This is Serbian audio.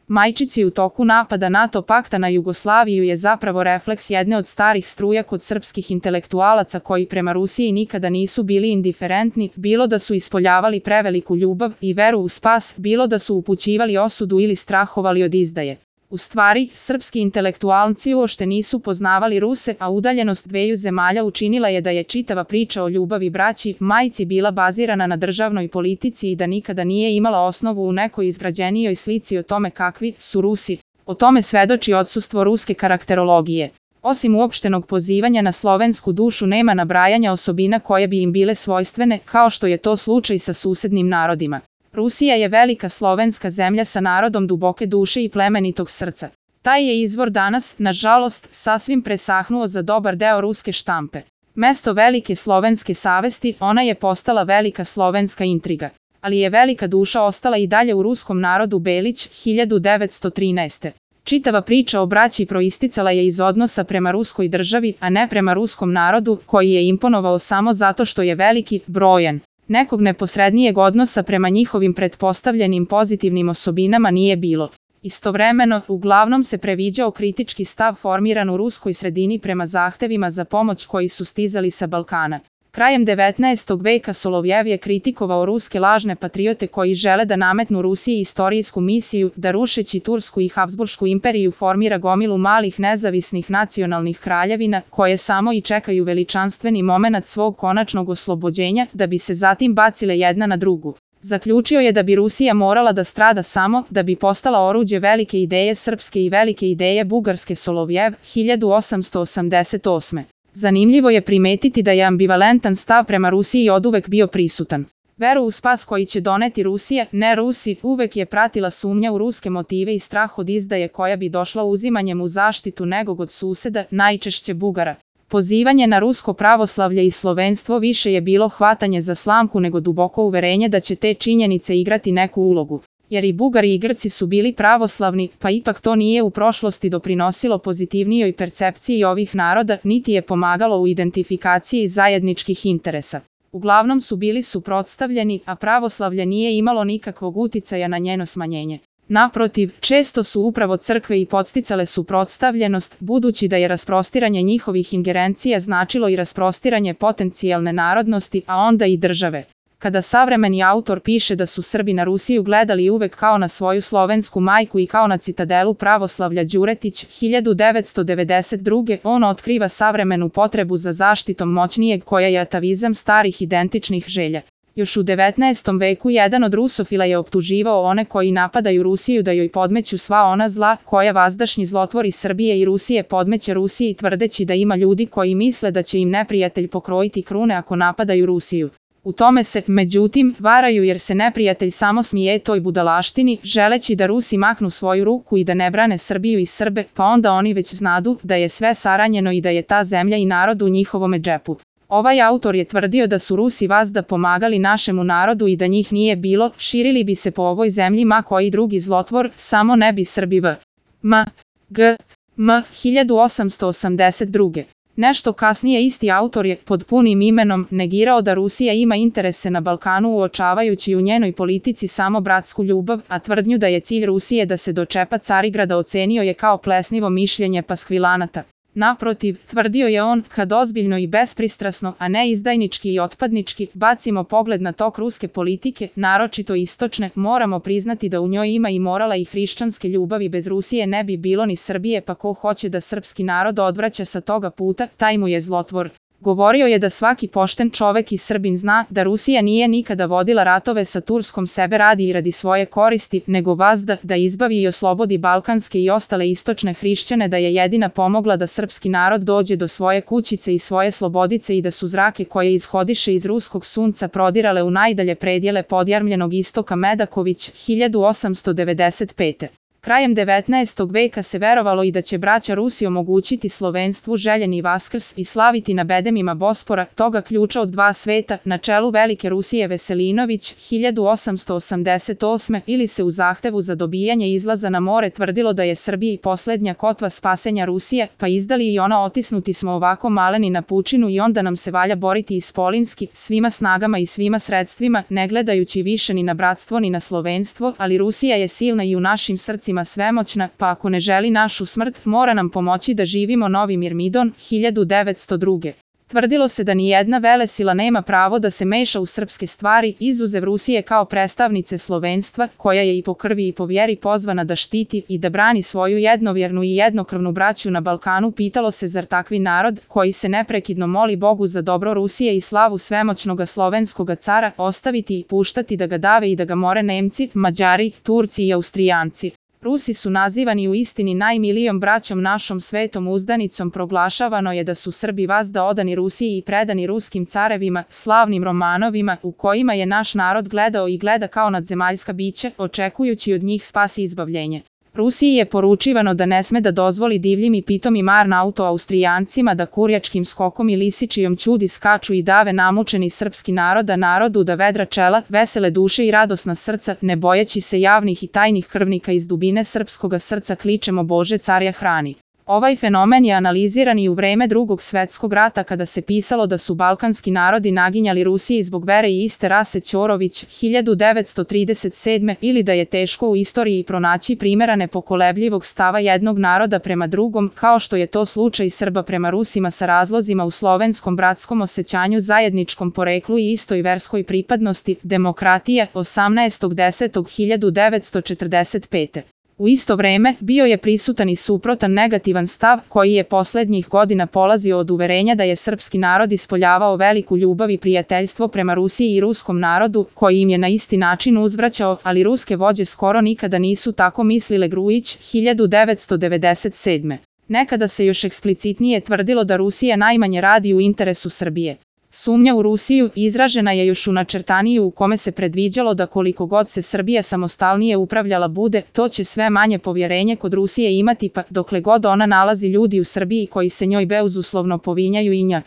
Majčici u toku napada NATO pakta na Jugoslaviju je zapravo refleks jedne od starih struja kod srpskih intelektualaca koji prema Rusiji nikada nisu bili indiferentni, bilo da su ispoljavali preveliku ljubav i veru u spas, bilo da su upućivali osudu ili strahovali od izdaje. U stvari, srpski intelektualci uopšte nisu poznavali Ruse, a udaljenost dveju zemalja učinila je da je čitava priča o ljubavi braći, majci bila bazirana na državnoj politici i da nikada nije imala osnovu u nekoj izgrađenijoj slici o tome kakvi su Rusi. O tome svedoči odsustvo ruske karakterologije. Osim uopštenog pozivanja na slovensku dušu nema nabrajanja osobina koje bi im bile svojstvene, kao što je to slučaj sa susednim narodima. Rusija je velika slovenska zemlja sa narodom duboke duše i plemenitog srca. Taj je izvor danas, nažalost, sasvim presahnuo za dobar deo ruske štampe. Mesto velike slovenske savesti, ona je postala velika slovenska intriga. Ali je velika duša ostala i dalje u ruskom narodu Belić, 1913. Čitava priča o braći proisticala je iz odnosa prema ruskoj državi, a ne prema ruskom narodu, koji je imponovao samo zato što je veliki, brojan. Nekog neposrednijeg odnosa prema njihovim pretpostavljenim pozitivnim osobinama nije bilo. Istovremeno, uglavnom se previđao kritički stav formiran u ruskoj sredini prema zahtevima za pomoć koji su stizali sa Balkana. Krajem 19. veka Solovjev je kritikovao ruske lažne patriote koji žele da nametnu Rusiji istorijsku misiju, da rušeći Tursku i Habsburšku imperiju formira gomilu malih nezavisnih nacionalnih kraljevina, koje samo i čekaju veličanstveni momenat svog konačnog oslobođenja, da bi se zatim bacile jedna na drugu. Zaključio je da bi Rusija morala da strada samo, da bi postala oruđe velike ideje srpske i velike ideje bugarske. Solovjev, 1888. Zanimljivo je primetiti da je ambivalentan stav prema Rusiji oduvek bio prisutan. Veru u spas koji će doneti Rusija, ne Rusi, uvek je pratila sumnja u ruske motive i strah od izdaje koja bi došla uzimanjem u zaštitu nekog od suseda, najčešće Bugara. Pozivanje na rusko pravoslavlje i slovenstvo više je bilo hvatanje za slamku nego duboko uverenje da će te činjenice igrati neku ulogu. Jer i Bugari i Grci su bili pravoslavni, pa ipak to nije u prošlosti doprinosilo pozitivnijoj percepciji ovih naroda, niti je pomagalo u identifikaciji zajedničkih interesa. Uglavnom su bili suprotstavljeni, a pravoslavlje nije imalo nikakvog uticaja na njeno smanjenje. Naprotiv, često su upravo crkve i podsticale suprotstavljenost, budući da je rasprostiranje njihovih ingerencija značilo i rasprostiranje potencijalne narodnosti, a onda i države. Kada savremeni autor piše da su Srbi na Rusiju gledali uvek kao na svoju slovensku majku i kao na citadelu pravoslavlja, Đuretić, 1992. on otkriva savremenu potrebu za zaštitom moćnijeg koja je atavizam starih identičnih želja. Još u 19. veku jedan od rusofila je optuživao one koji napadaju Rusiju da joj podmeću sva ona zla koja vazdašnji zlotvori Srbije i Rusije podmeće Rusiji, tvrdeći da ima ljudi koji misle da će im neprijatelj pokrojiti krune ako napadaju Rusiju. U tome se, međutim, varaju jer se neprijatelj samo smije toj budalaštini, želeći da Rusi maknu svoju ruku i da ne brane Srbiju i Srbe, pa onda oni već znadu da je sve saranjeno i da je ta zemlja i narod u njihovome džepu. Ovaj autor je tvrdio da su Rusi vazda pomagali našemu narodu i da njih nije bilo, širili bi se po ovoj zemlji ma koji drugi zlotvor, samo ne bi Srbi v. M. 1882. Nešto kasnije isti autor je, pod punim imenom, negirao da Rusija ima interese na Balkanu uočavajući u njenoj politici samo bratsku ljubav, a tvrdnju da je cilj Rusije da se dočepa Carigrada ocenio je kao plesnivo mišljenje paskvilanata. Naprotiv, tvrdio je on, kad ozbiljno i bespristrasno, a ne izdajnički i otpadnički, bacimo pogled na tok ruske politike, naročito istočne, moramo priznati da u njoj ima i morala i hrišćanske ljubavi. Bez Rusije ne bi bilo ni Srbije, pa ko hoće da srpski narod odvraća sa toga puta, taj mu je zlotvor. Govorio je da svaki pošten čovek i Srbin zna da Rusija nije nikada vodila ratove sa Turskom sebe radi i radi svoje koristi, nego vazda da izbavi i oslobodi balkanske i ostale istočne hrišćane, da je jedina pomogla da srpski narod dođe do svoje kućice i svoje slobodice i da su zrake koje ishodiše iz ruskog sunca prodirale u najdalje predjele podjarmljenog istoka. Medaković, 1895. Krajem 19. veka se verovalo i da će braća Rusi omogućiti slovenstvu željeni Vaskrs i slaviti na bedemima Bospora, toga ključa od dva sveta, na čelu velike Rusije Veselinović, 1888. ili se u zahtevu za dobijanje izlaza na more tvrdilo da je Srbiji poslednja kotva spasenja Rusije, pa izdali i ona otisnuti smo ovako maleni na pučinu i onda nam se valja boriti ispolinski, svima snagama i svima sredstvima, ne gledajući više ni na bratstvo ni na slovenstvo, ali Rusija je silna i u našim srcima Rusima svemoćna, pa ako ne želi našu smrt, mora nam pomoći da živimo. Novi Mirmidon, 1902. Tvrdilo se da ni jedna velesila nema pravo da se meša u srpske stvari, izuzev Rusije kao predstavnice slovenstva, koja je i po krvi i po vjeri pozvana da štiti i da brani svoju jednovjernu i jednokrvnu braću na Balkanu. Pitalo se, zar takvi narod, koji se neprekidno moli Bogu za dobro Rusije i slavu svemoćnoga slovenskoga cara, ostaviti i puštati da ga dave i da ga more Nemci, Mađari, Turci i Austrijanci? Rusi su nazivani u istini najmilijom braćom našom svetom uzdanicom. Proglašavano je da su Srbi vazda odani Rusiji i predani ruskim carevima, slavnim romanovima, u kojima je naš narod gledao i gleda kao nadzemaljska bića, očekujući od njih spas i izbavljenje. Rusiji je poručivano da ne sme da dozvoli divljim i pitomim Austrijancima da kurjačkim skokom i lisičijom ćudi skaču i dave namučeni srpski narod, a narodu da vedra čela, vesele duše i radosna srca, ne bojeći se javnih i tajnih krvnika iz dubine srpskoga srca kličemo Bože carja hrani. Ovaj fenomen je analiziran i u vreme Drugog svetskog rata, kada se pisalo da su balkanski narodi naginjali Rusiji zbog vere i iste rase. Ćorović, 1937. Ili da je teško u istoriji pronaći primjera nepokolebljivog stava jednog naroda prema drugom, kao što je to slučaj Srba prema Rusima, sa razlozima u slovenskom bratskom osjećanju, zajedničkom poreklu i istoj verskoj pripadnosti. Demokratija, 18.10.1945. U isto vreme, bio je prisutan i suprotan negativan stav, koji je poslednjih godina polazio od uverenja da je srpski narod ispoljavao veliku ljubav i prijateljstvo prema Rusiji i ruskom narodu, koji im je na isti način uzvraćao, ali ruske vođe skoro nikada nisu tako mislile. Grujić, 1997. Nekada se još eksplicitnije tvrdilo da Rusija najmanje radi u interesu Srbije. Sumnja u Rusiju izražena je još u načrtaniju, u kome se predviđalo da koliko god se Srbija samostalnije upravljala bude, to će sve manje povjerenje kod Rusije imati, pa dokle god ona nalazi ljudi u Srbiji koji se njoj bezuslovno povinjaju i nja.